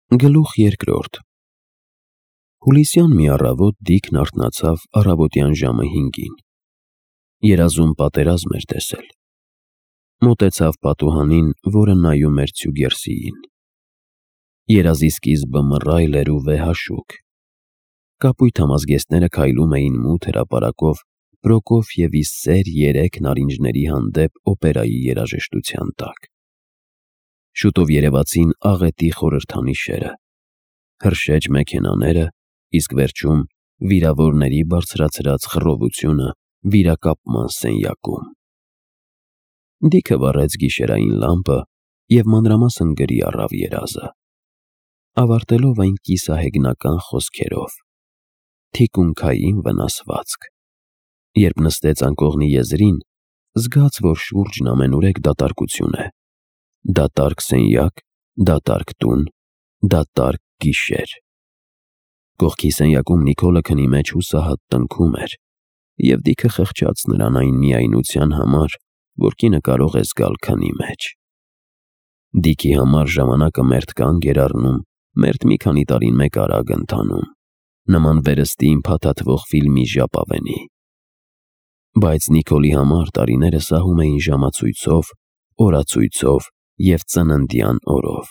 Գլուխ երկրորդ Հուլիսյան մի առավոտ Դիքն արթնացավ առավոտյան ժամը 5-ին։ Երազում պատերազմ էր տեսել։ Մոտեցավ պատուհանին, որը նայում էր Ցյուգերսիին։ Երազի սկիզբը մռայլ էր ու վեհաշուք։ Կապույտ համազգեստները քայլում էին մութ հրապարակով Պրոկոֆիևի սեր 3 նարինջների հանդեպ օպերայի երաժշտության տակ։ Շուտով երևացին աղետի խորհրդանիշերը, հրշեջ մեքենաները, իսկ վերջում վիրավորների բարձրացրած խռովությունը վիրակապման սենյակում։ Դիքը վառեց գիշերային լամպը և մանրամասն գրի առավ երազը, ավարտելով այն կիսահեգնական խոսքերով. թիկունքային վնասվածք։ Երբ նստեց անկողնի եզրին, զգաց, որ շուրջն ամենուրեք դատարկություն է։ Դատարկ սենյակ, դատարկ տուն, դատարկ գիշեր։ Կողքի սենյակում Նիկոլը քնի մեջ հուսահատ տնքում էր, և Դիքը խղճաց նրան այն միայնության համար, որ կինը կարող է զգալ քնի մեջ։ Դիքի համար ժամանակը մերթ կանգ էր առնում, մերթ մի քանի տարին մեկ արագ ընթանում, նման վերստին փաթաթվող ֆիլմի ժապավենի։ Բայց Նիկոլի համար տարիները սահում էին ժամացույցով, օրացույցով և ծննդյան օրով,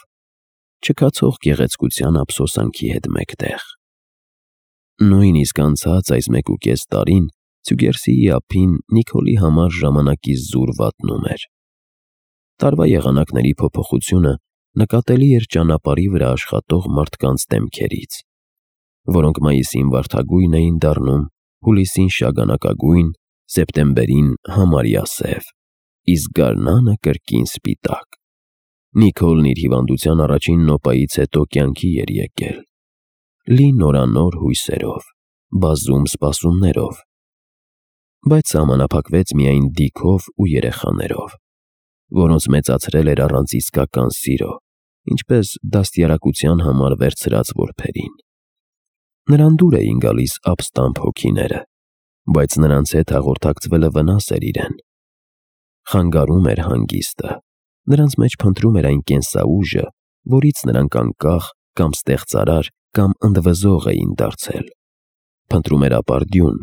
չքացող գեղեցկության ափսոսանքի հետ մեկտեղ։ Նույնիսկ անցած այս 1.5 տարին Ցյուգերսիի ափին Նիկոլի համար ժամանակի զուր վատնում էր։ Տարվա եղանակների փոփոխությունը նկատելի էր ճանապարհի վրա աշխատող մարդկանց դեմքերից, որոնք մայիսին վարդագույն էին դառնում, հուլիսին շագանակագույն, սեպտեմբերին համարյա սև, իսկ գարնանը կրկին սպիտակ։ Նիկոլն իր հիվանդության առաջին նոպայից հետո կյանքի էր եկել, լի նորանոր հույսերով, բազում սպասումներով, բայց սահմանափակվեց միայն Դիքով ու երեխաներով, որոնց մեծացրել էր առանց իսկական սիրո, ինչպես դաստիարակության համար վերցրած որբերին։ Նրան դուր էին գալիս ապստամբ հոգիները, բայց նրանց հետ հաղորդակցվելը վնաս էր իրեն։ Խանգարում էր հանգիստը, նրանց մեջ փնտրում էր այն կենսաուժը, որից նրանք անկախ կամ ստեղծարար կամ ընդվզող էին դարձել։ Փնտրում էր ապարդյուն,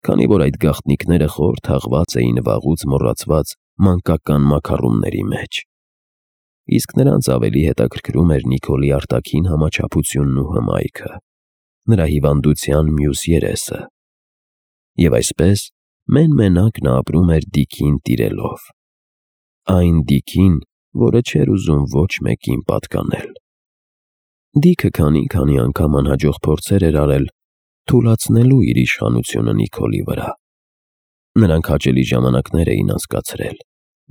քանի որ այդ գաղտնիքները խոր թաղված էին վաղուց մոռացված մանկական մաքառումների մեջ։ Իսկ նրանց ավելի հետաքրքրում էր Նիկոլի արտաքին համաչափությունն ու հմայքը, նրա հիվանդության մյուս երեսը։ Եվ այսպես մեն-մենակ նա ապրում էր Դիքին տիրելով։ Այն Դիքին, որը չէր ուզում ոչ մեկին պատկանել։ Դիքը քանի անգամ անհաջող փորձեր էր արել թուլացնելու իր իշխանությունը Նիկոլի վրա։ Նրանք հաճելի ժամանակներ էին անցկացրել,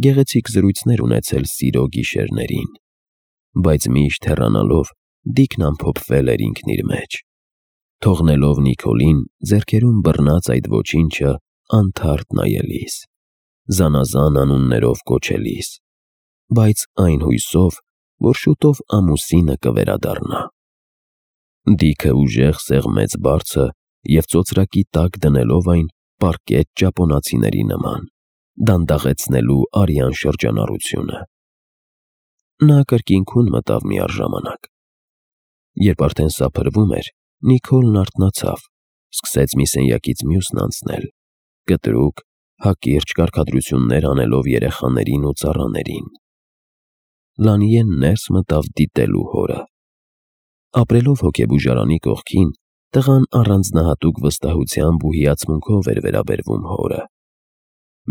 գեղեցիկ զրույցներ ունեցել սիրո գիշերներին, բայց միշտ հեռանալով Դիքն ամփոփվել էր ինքն իր մեջ, թողնելով Նիկոլին ձեռքերում բռնած այդ ոչինչը անթարթ նայելիս, զանազան անուններով կոչելիս, բայց այն հույսով, որ շուտով ամուսինը կվերադառնա։ Դիքը ուժեղ սեղմեց բարձը և ծոծրակի տակ դնելով այն պառկեց ճապոնացիների նման, դանդաղեցնելու արյան շրջանառությունը։ Նա կրկինքուն մտավ միառժամանակ։ Երբ արդեն սափրվում էր, Նիկոլն արթնացավ, սկսեց մի սենյակից մյուսն անցնել, կտրուկ, հակիրճ կարգադրություններ անելով երեխաներին ու ծառաներին։ Լանիեն ներս մտավ դիտելու հորը։ Ապրելով հոգեբուժարանի կողքին, տղան առանձնահատուկ վստահությամբ ու հիացմունքով էր վերաբերվում հորը։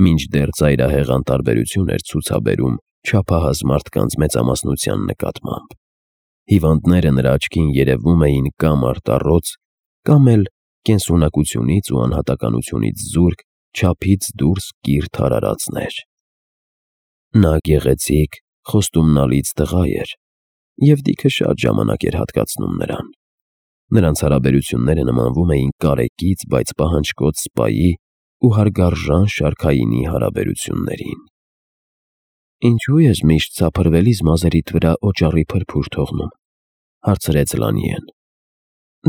Մինչդեռ ծայրահեղ անտարբերություն էր ցուցաբերում չափահաս մարդկանց մեծամասնության նկատմամբ։ Հիվանդները նրա աչքին երևում էին կամ արտառոց, կամ էլ կենսունակությունից ու անհատականությունից զուրկ, չափից դուրս կիրթ արարածներ։ Նա գեղեցիկ, խոստումնալից տղա էր, և Դիքը շատ ժամանակ էր հատկացնում նրան։ Նրանց հարաբերությունները նմանվում էին կարեկից, բայց պահանջկոտ սպայի ու հարգարժան շարքայինի հարաբերություններին։ «Ինչո՞ւ ես միշտ սափրվելիս մազերիդ վրա օճառի փրփուր թողնում», հարցրեց Լանիեն։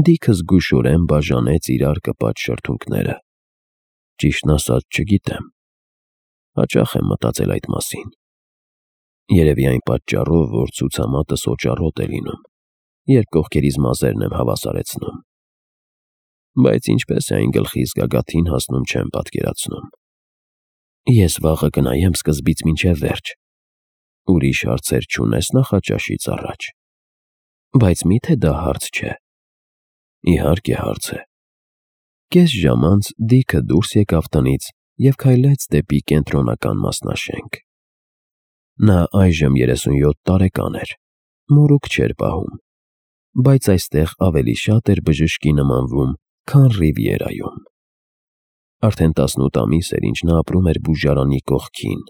Դիքը զգուշորեն բաժանեց իրար կպած շրթունքները։ «Ճիշտն ասած, չգիտեմ։ Հաճախ եմ մտածել այդ մասին։ Երևի այն պատճառով, որ ցուցամատս օճառոտ է լինում։ երբ կողքերից մազերն եմ հավասարեցնում։ Բայց ինչպես է այն գլխիս գագաթին հասնում չեմ պատկերացնում։ Ես վաղը կնայեմ սկզբից մինչև վերջ։ Ուրիշ հարցեր չունես նախաճաշից առաջ։ Բայց միթե դա հարց չէ։ Իհարկե հարց է։ Կես ժամ անց Դիքը դուրս եկավ տնից և քայլեց դեպի կենտրոնական մասնաշենք։ Նա այժմ 37 տարեկան էր, մորուք չէր պահում, բայց այստեղ ավելի շատ էր բժշկի նմանվում, քան Ռիվիերայում։ Արդեն 18 ամիս էր, ինչ նա ապրում էր բուժարանի կողքին,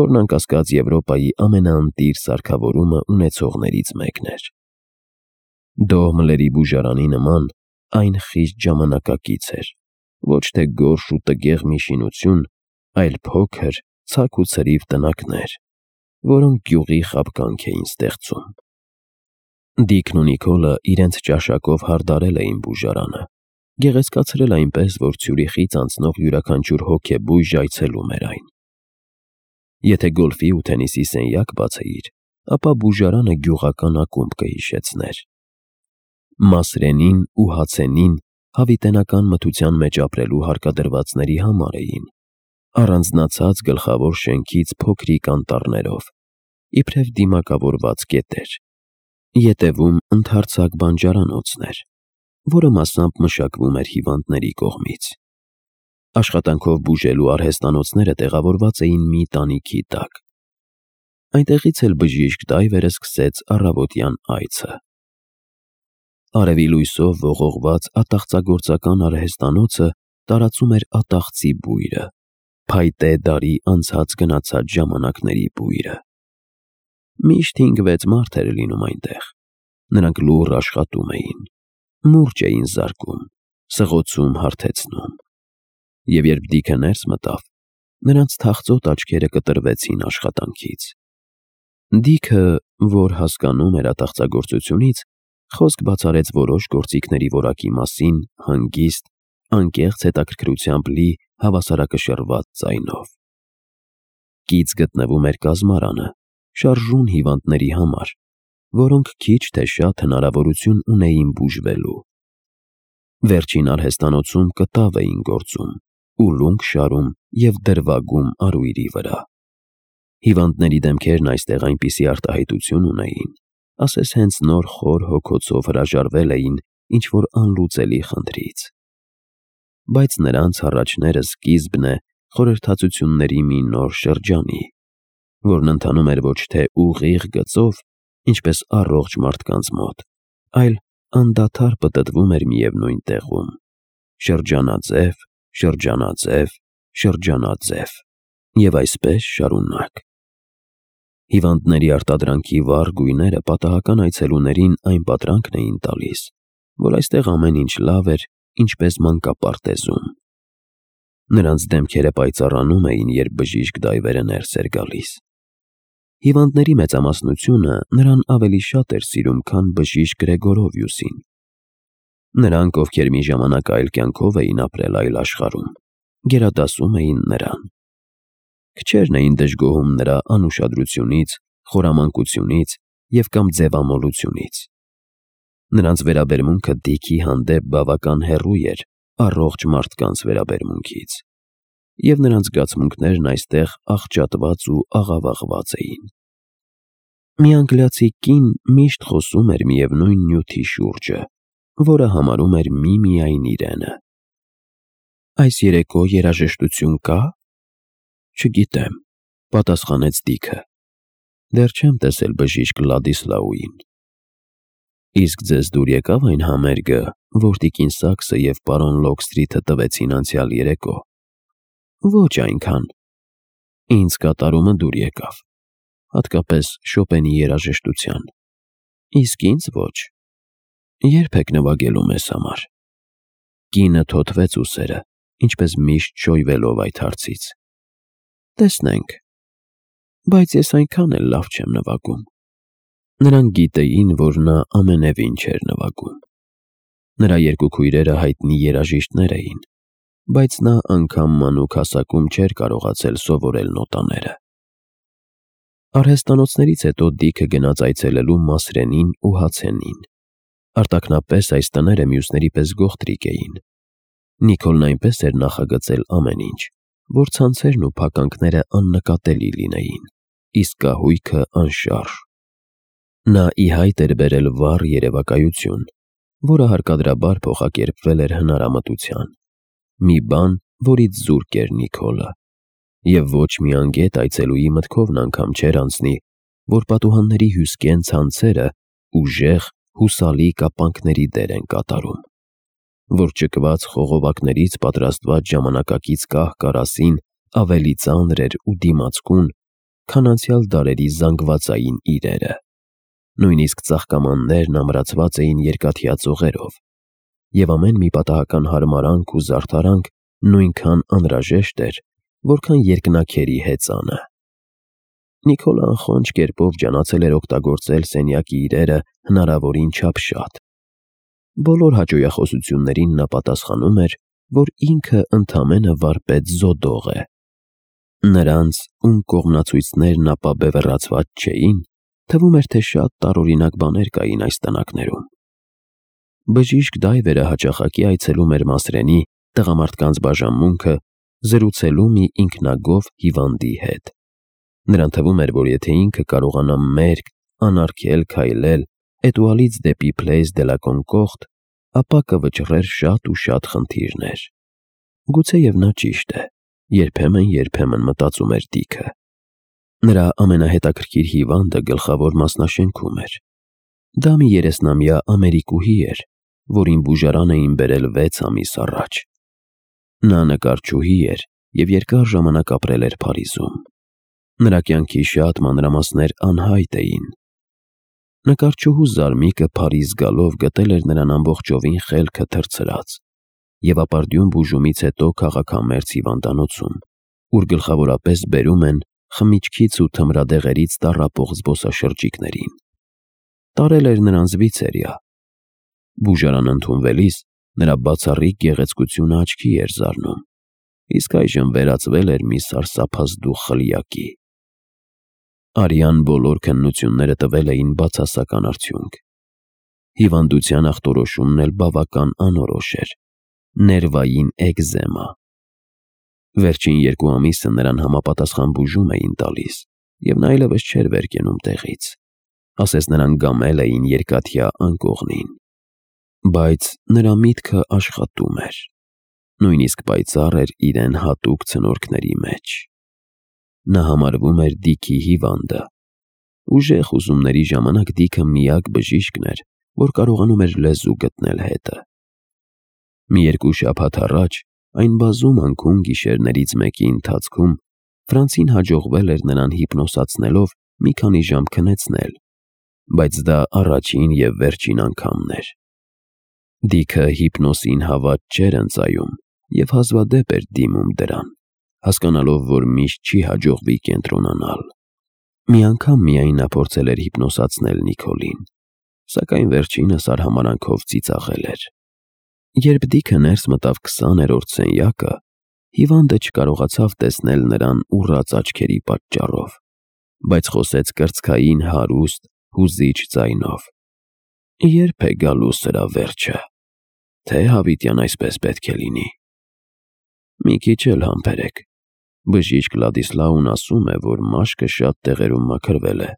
որն անկասկած Եվրոպայի ամենաընտիր սարքավորումը ունեցողներից մեկն էր։ Դոհմլերի բուժարանի նման այն խիստ ժամանակակից էր, ոչ թե գորշ ու տգեղ մի շինություն, այլ փոքր, ցակ ու ցրիվ տնակներ, որոնք գյուղի խաբկանք էին ստեղծում։ Դիքն ու Նիկոլը իրենց ճաշակով հարդարել էին բուժարանը, գեղեցկացրել այնպես, որ Ցյուրիխից անցնող յուրաքանչյուր հոգեբույժ այցելում էր այն։ Եթե գոլֆի ու թենիսի սենյակ բացեիր, ապա բուժարանը գյուղական ակումբ կհիշեցներ։ Մասրենին ու հացենին հավիտենական մթության մեջ ապրելու հարկադրվածների համար էին, առանձնացած գլխավոր շենքից փոքրիկ անտառներով, իբրև դիմակավորված կետեր։ Ետևում ընդարձակ բանջարանոցն էր, որը մասամբ մշակվում էր հիվանդների կողմից։ Աշխատանքով բուժելու արհեստանոցները տեղավորված էին մի տանիքի տակ։ Այնտեղից էլ բժիշկ Դայվերը սկսեց առավոտյան այցը։ Արևի լույսով ողողված ատաղծագործական արհեստանոցը տարածում էր ատաղծի բույրը, փայտե դարի անցած-գնացած ժամանակների բույրը։ Միշտ 5-6 մարդ էր լինում այնտեղ։ Նրանք լուռ աշխատում էին, մուրճ էին զարկում, սղոցում հարթեցնում։ Եվ երբ Դիքը ներս մտավ, նրանց թախծոտ աչքերը կտրվեցին աշխատանքից։ Դիքը, որ հասկանում էր ատաղծագործությունից, խոսք բացարեց որոշ գործիքների որակի մասին հանգիստ, անկեղծ հետաքրքրությամբ լի հավասարակշռված ձայնով։ Կից գտնվում էր կազմարանը, շարժուն հիվանդների համար, որոնք քիչ թե շատ հնարավորություն ունեին բուժվելու։ Վերջին արհեստանոցում կտավ էին գործում, ուլունք շարում և դրվագում արույրի վրա։ Հիվանդների դեմքերն այստեղ այնպիսի արտահայտություն ունեին, ասես հենց նոր խոր հոգոցով հրաժարվել էին ինչ-որ անլուծելի խնդրից։ Բայց նրանց հառաչները սկիզբն է խորհրդածությունների մի նոր շրջանի, որն ընթանում էր ոչ թե ուղիղ գծով, ինչպես առողջ մարդկանց մոտ, այլ անդադար պտտվում էր միևնույն տեղում՝ շրջանաձև, շրջանաձև, շրջանաձև և այսպես շարունակ։ Հիվանդների արտադրանքի վառ գույները պատահական այցելուներին այն պատրանքն էին տալիս, որ այստեղ ամեն ինչ լավ էր, ինչպես մանկապարտեզում։ Նրանց դեմքերը պայծառանում էին, երբ բժիշկ Դայվերը ներս էր գալիս։ Հիվանդների մեծամասնությունը նրան ավելի շատ էր սիրում, քան բժիշկ Գրեգորովյուսին։ Նրանք, ովքեր մի ժամանակ այլ կյանքով էին ապրել այլ աշխարհում, գերադասում էին նրան։ Քչերն էին դժգոհում նրա անուշադրությունից, խորամանկությունից և կամ ձևամոլությունից։ Նրանց վերաբերմունքը Դիքի հանդեպ բավական հեռու էր առողջ մարդկանց վերաբերմունքից, և նրանց զգացմունքներն այստեղ աղճատված ու աղավաղված էին։ Մի անգլիացի կին միշտ խոսում էր միևնույն նյութի շուրջը, որը համարում էր միմիայն իրենը։ «Այս երեկո երաժշտություն կա՞։ Չգիտեմ», պատասխանեց Դիքը։ «Դեռ չեմ տեսել բժիշկ Լադիսլաուին»։ «Իսկ ձեզ դուր եկավ այն համերգը, որ տիկին Սաքսը և պարոն Լոքսթրիթը տվեցին անցյալ երեկո»։ «Ոչ այնքան»։ «Ինձ կատարումը դուր եկավ, հատկապես Շոպենի երաժշտության»։ «Իսկ ինձ ոչ»։ «Ե՞րբ եք նվագելու մեզ համար»։ Կինը թոթվեց ուսերը, ինչպես միշտ շոյվելով այդ հարցից։ «Տեսնենք, բայց ես այնքան էլ լավ չեմ նվագում»։ Նրանք գիտեին, որ նա ամենևին չէր նվագում։ Նրա երկու քույրերը հայտնի երաժիշտներ էին, բայց նա անգամ մանուկ հասակում չէր կարողացել սովորել նոտաները։ Արհեստանոցներից հետո Դիքը գնաց այցելելու Մասրենին ու հացենին, Արտաքնապես այս տները մյուսների պես գողտրիկ էին։ Նիկոլն այնպես էր նախագծել ամեն ինչ, որ ցանցերն ու փականքները աննկատելի լինեին, իսկ կահույքը անշարժ։ Նա ի հայտ էր բերել վառ երևակայություն, որը հարկադրաբար փոխակերպվել էր հնարամտության, մի բան, որից զուրկ էր Նիկոլը, և ոչ մի անգետ այցելուի մտքովն անգամ չէր անցնի, որ պատուհանների հյուսկեն ցանցերը ուժեղ, հուսալի կապանքների դեր են կատարում, որ ճկված խողովակներից պատրաստված ժամանակակից կահ-կարասին ավելի ծանր էր ու դիմացկուն, քան անցյալ դարերի զանգվածային իրերը։ Նույնիսկ ծաղկամաններն ամրացված էին երկաթյա ծողերով, և ամեն մի պատահական հարմարանք ու զարդարանք նույնքան անհրաժեշտ էր, որքան երկնաքերի հեծանը։ Նիկոլը անխոնջ կերպով ջանացել էր օգտագործել սենյակի իրերը հնարավորին չափ շատ։ Բոլոր հաճոյախոսություններին նա պատասխանում էր, որ ինքը ընդամենը վարպետ զոդող է։ Նրանց, ում կողմնացույցներն ապաբևեռացված չէին, թվում էր, թե շատ տարօրինակ բաներ կային այս տնակներում։ Բժիշկ Դայվերը հաճախակի այցելում էր Մասրենի տղամարդկանց բաժանմունքը զրուցելու մի ինքնագոհ հիվանդի հետ։ Նրան թվում էր, որ եթե ինքը կարողանա մերկ, անարգել քայլել Էտուալից դեպի Place de la Concorde, ապա կվճռեր շատ ու շատ խնդիրներ։ Գուցեև նա ճիշտ է, երբեմն մտածում էր Դիքը։ Նրա ամենահետաքրքիր հիվանդը գլխավոր մասնաշենքում էր։ Դա մի 30-ամյա ամերիկուհի էր, որին բուժարան էին բերել 6 ամիս առաջ։ Նա նկարչուհի էր և երկար ժամանակ ապրել էր Փարիզում։ Նրա կյանքի շատ մանրամասներ անհայտ էին։ Նկարչուհու Զարմիկը Փարիզ գալով գտել էր նրան ամբողջովին խելքը թռցրած և ապարդյուն բուժումից հետո քաղաքամերձ հիվանդանոցում, ուր գլխավորապես բերում են խմիչքից ու թմրադեղերից տառապող զբոսաշրջիկներին։ Տարել էր նրան Զվիցերիա։ Բուժարան ընդունվելիս նրա բացառիկ գեղեցկությունը աչքի էր զարնում, իսկ այժմ վերածվել էր մի սարսափազդու խլյակի։ Արյան բոլոր քննությունները տվել էին բացասական արդյունք։ Հիվանդության ախտորոշումն էլ բավական անորոշ էր՝ ներվային էկզեմա։ Վերջին 2 ամիսը նրան համապատասխան բուժում էին տալիս, և նա այլևս չէր վեր կենում տեղից, ասես նրան գամել էին երկաթյա անկողնին։ Բայց նրա միտքը աշխատում էր, նույնիսկ պայծառ էր իրեն հատուկ ցնորքների մեջ։ Նա համարվում էր Դիքի հիվանդը։ Ուժեղ ուսումների ժամանակ Դիքը միակ բժիշկն էր, որ կարողանում էր լեզու գտնել հետը։ Մի 2 շաբաթ առաջ, այն բազում անկուն գիշերներից մեկի ընթացքում, Ֆրանցին հաջողվել էր նրան հիպնոսացնելով մի քանի ժամ քնեցնել, բայց դա առաջին և վերջին անգամն էր։ Դիքը հիպնոսին հավատ չէր ընծայում և հազվադեպ էր դիմում դրան, հասկանալով, որ միշտ չի հաջողվի կենտրոնանալ։ Մի անգամ միայն նա փորձել էր հիպնոսացնել Նիկոլին, սակայն վերջինս արհամարհանքով ծիծաղել էր։ Երբ Դիքը ներս մտավ 20-րդ սենյակը, հիվանդը չկարողացավ տեսնել նրան ուռած աչքերի պատճառով, բայց խոսեց կրծքային հարուստ, հուզիչ ձայնով. «Ե՞րբ է գալու սրա վերջը, թե հավիտյան այսպես պետք է լինի»։ «Մի քիչ էլ համբերեք, բժիշկ Լադիսլաուն ասում է, որ մաշկը շատ տեղերում մաքրվել է։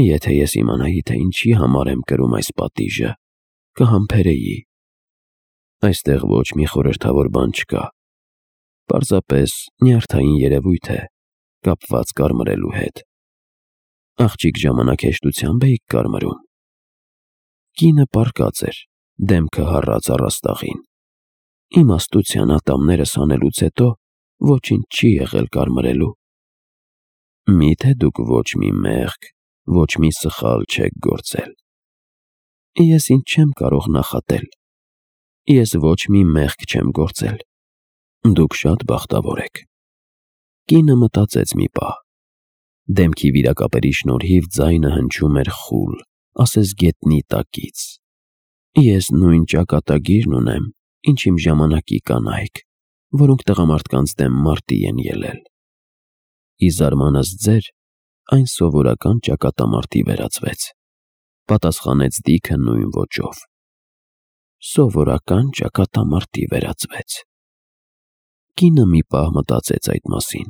Եթե ես իմանայի, թե ինչի համար եմ կրում այս պատիժը, կհամբերեի։ Այստեղ ոչ մի խորհրդավոր բան չկա, պարզապես նյարդային երևույթ է, կապված կարմրելու հետ։ Աղջիկ ժամանակ-հեշտությամբ էիք կարմրում»։ Կինը պառկած էր, դեմքը հառած առաստաղին։ «Իմաստության ատամներս հանելուց հետո ոչինչ չի եղել կարմրելու»։ «Մի՞թե դուք ոչ մի մեղք, ոչ մի սխալ չեք գործել»։ «Ես ինձ չեմ կարող նախատել։ Ես ոչ մի մեղք չեմ գործել»։ «Դուք շատ բախտավոր եք»։ Կինը մտածեց մի պահ։ Դեմքի վիրակապերի շնորհիվ ձայնը հնչում էր խուլ, ասես գետնի տակից։ «Ես նույն ճակատագիրն ունեմ, ինչ իմ ժամանակի կանայք, որոնք տղամարդկանց դեմ մարտի են ելել։ Ի զարմանս ձեր, այն սովորական ճակատամարտի վերածվեց»։ Պատասխանեց Դիքը նույն ոճով։ Սովորական ճակատամարտի վերածվեց։ Կինը մի պահ մտածեց այդ մասին։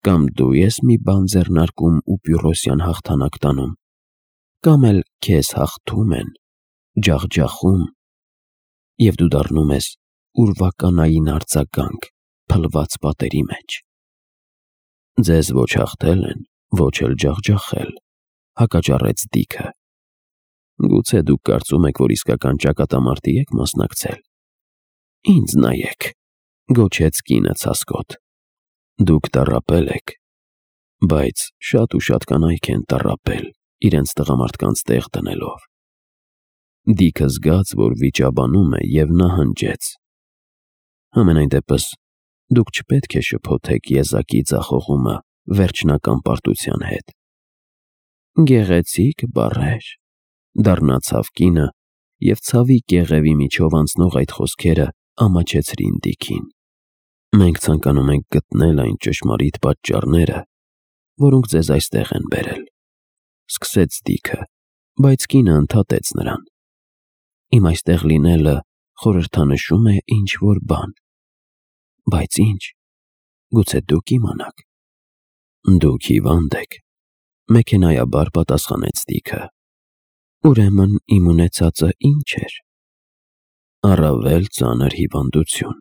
Կամ դու ես մի բան ձեռնարկում ու Պյուրոսյան հաղթանակ տանում, կամ էլ քեզ հաղթում են, ջախջախում, և դու դառնում ես ուրվականային արձագանք փլված պատերի մեջ։ Ձեզ ոչ հաղթել են, ոչ էլ ջախջախել, հակաճառեց Դիքը։ Գուցե դուք կարծում եք, որ իսկական ճակատամարտի եք մասնակցել։ Ինձ նայեք, գոչեց կինը ցասկոտ։ Դուք տառապել եք, բայց շատ ու շատ կանայք են տառապել իրենց տղամարդկանց տեղ դնելով։ Դիքը զգաց, որ վիճաբանում է, և նա հնչեց. Համենայն դեպս, դուք չպետք է շփոթեք եզակի ձախողումը վերջնական պարտության հետ։ Գեղեցիկ բառեր, դառնացավ կինը, և ցավի կեղևի միջով անցնող այդ խոսքերը ամաչեցրին Դիքին։ Մենք ցանկանում ենք գտնել այն ճշմարիտ պատճառները, որոնք ձեզ այստեղ են բերել, սկսեց Դիքը, բայց կինը ընդհատեց նրան։ Իմ այստեղ լինելը խորհրդանշում է ինչ-որ բան։ Բայց ինչ, գուցե դուք իմանաք։ Դուք հիվանդ եք, մեքենայաբար պատասխանեց Դիքը։ Ուրեմն իմ ունեցածը ինչ էր։ Առավել ծանր հիվանդություն։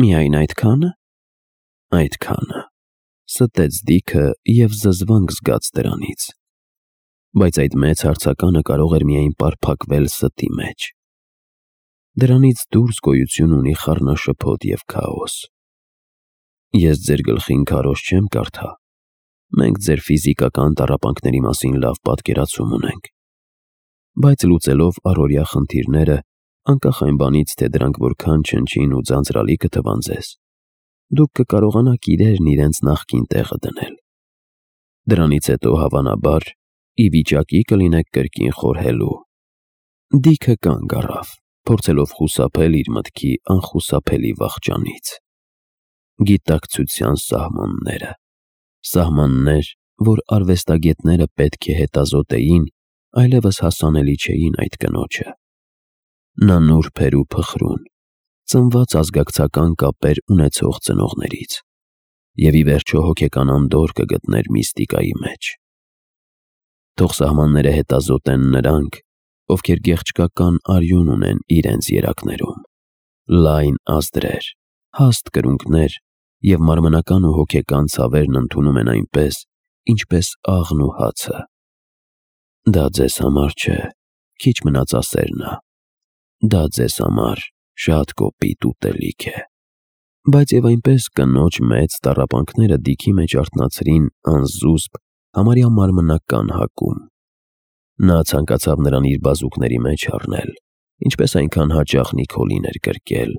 Միայն այդքա՞ն։ Այդքանը, ստեց Դիքը և զզվանք զգաց դրանից։ Բայց այդ մեծ հարցականը կարող էր միայն պարփակվել ստի մեջ։ Դրանից դուրս գոյություն ունի խառնաշփոթ և քաոս։ Ես ձեր գլխին քարոզ չեմ կարդա։ Մենք ձեր ֆիզիկական տառապանքների մասին լավ պատկերացում ունենք։ Բայց լուծելով առօրյա խնդիրները, անկախ այն բանից, թե դրանք որքան չնչին ու ձանձրալի կթվան ձեզ, դուք կկարողանաք իրերն իրենց նախկին տեղը դնել։ Դրանից հետո, հավանաբար, ի վիճակի կլինեք կրկին խորհելու։ Դիքը կանգ առավ, փորձելով խուսափել իր մտքի անխուսափելի վախճանից։ Գիտակցության սահմանները, սահմաններ, որ արվեստագետները պետք է հետազոտեին, այլևս հասանելի չէին այդ կնոջը։ Նա նուրբ էր ու փխրուն, ծնված ազգակցական կապեր ունեցող ծնողներից, և ի վերջո հոգեկան անդորր կգտներ միստիկայի մեջ։ Թող սահմանները հետազոտեն նրանք, ովքեր գեղչկական արյուն ունեն իրենց երակներում, լայն ազդրեր, հաստ կրունկներ և մարմնական ու հոգեկան ցավերն ընդունում են այնպես, ինչպես աղն ու հացը։ Դա ձեզ համար չէ, քիչ մնաց ասեր նա։ Դա ձեզ համար շատ կոպիտ ուտելիք է։ Բայց և այնպես կնոջ մեծ տառապանքները Դիքի մեջ արթնացրին անզուսպ, համարյա մարմնական հակում։ Նա ցանկացավ նրան իր բազուկների մեջ առնել, ինչպես այնքան հաճախ Նիքոլին էր կրկել,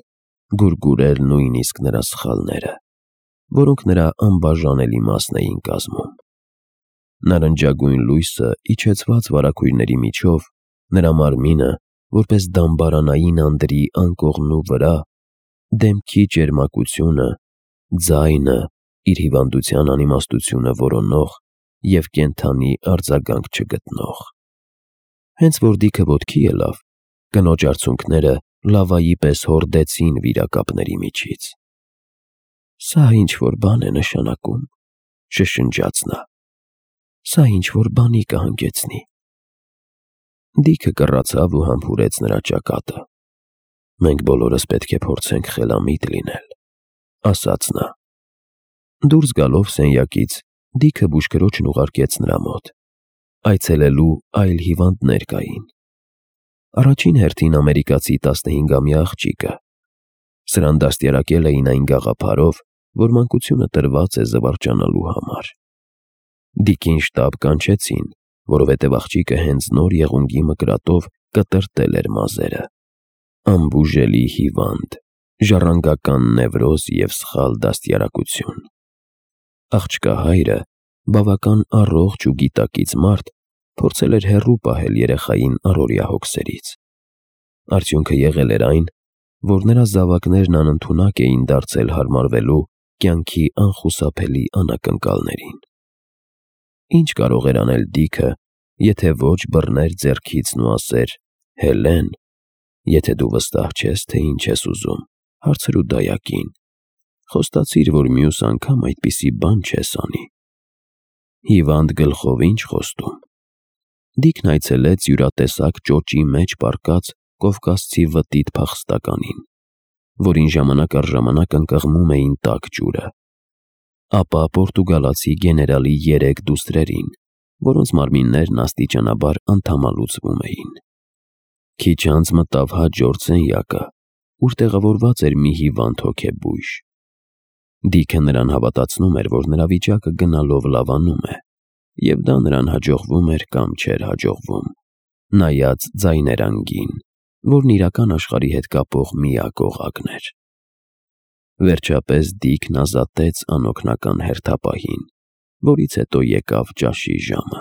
գուրգուրել նույնիսկ նրա սխալները, որոնք նրա անբաժանելի մասն էին կազմում։ Նարնջագույն լույսը իջեցված վարագույրների միջով նրա մարմինը, որպես դամբարանային անդրի անկողնու վրա, դեմքի ճերմակությունը, ձայնը, իր հիվանդության անիմաստությունը որոնող և կենդանի արձագանք չգտնող։ Հենց որ Դիքը ոտքի ելավ, կնոջ արցունքները լավայի պես հորդեցին վիրակապների միջից։ Սա ինչ-որ բան է նշանակում, շշնջաց նա։ Սա ինչ-որ բանի կհանգեցնի։ Դիքը կռացավ ու համբուրեց նրա ճակատը։ Մենք բոլորս պետք է փորձենք խելամիտ լինել, ասաց նա։ Դուրս գալով սենյակից, Դիքը բուժքրոջն ուղարկեց նրա մոտ։ Այցելելու այլ հիվանդներ կային։ Առաջին հերթին ամերիկացի 15-ամյա աղջիկը։ Սրան դաստիարակել էին այն գաղափարով, որ մանկությունը տրված է զվարճանալու համար։ Դիկին շտապ կանչեցին, որովհետև աղջիկը հենց նոր եղունգի մկրատով կտրտել էր մազերը։ Անբուժելի հիվանդ, ժառանգական նևրոզ և սխալ դաստիարակություն։ Աղջկա հայրը, բավական առողջ ու գիտակից մարդ, փորձել էր հեռու պահել երեխային առօրյա հոգսերից։ Արդյունքը եղել էր այն, որ նրա զավակներն անընդունակ էին դարձել հարմարվելու կյանքի անխուսափելի անակնկալներին։ Ինչ կարող էր անել Դիքը, եթե ոչ բռներ ձեռքիցն ու ասեր. «Հելեն, եթե դու վստահ չես, թե ինչ ես ուզում, հարցրու դայակին, խոստացիր, որ մյուս անգամ այդպիսի բան չես անի»։ Հիվանդ գլխով ինչ խոստում։ Դիքն այցելեց յուրատեսակ ճոճի մեջ պառկած կովկասցի վտիտ փախստականին, որին ժամանակ առ ժամանակ ընկղմում էին տաք ջուրը, ապա պորտուգալացի գեներալի 3 դուստրերին, որոնց մարմիններն աստիճանաբար անդամալուծվում էին։ Քիչ անց մտավ հաջորդ սենյակը, ուր տեղավորված էր մի հիվանդ հոգեբույժ։ Դիքը նրան հավատացնում էր, որ նրա վիճակը գնալով լավանում է, և դա նրան հաջողվում էր կամ չէր հաջողվում, նայած ձայներանգին, որն իրական աշխարհի հետ կապող միակ օղակն էր։ Վերջապես Դիքն ազատեց անօգնական հերթապահին, որից հետո եկավ ճաշի ժամը։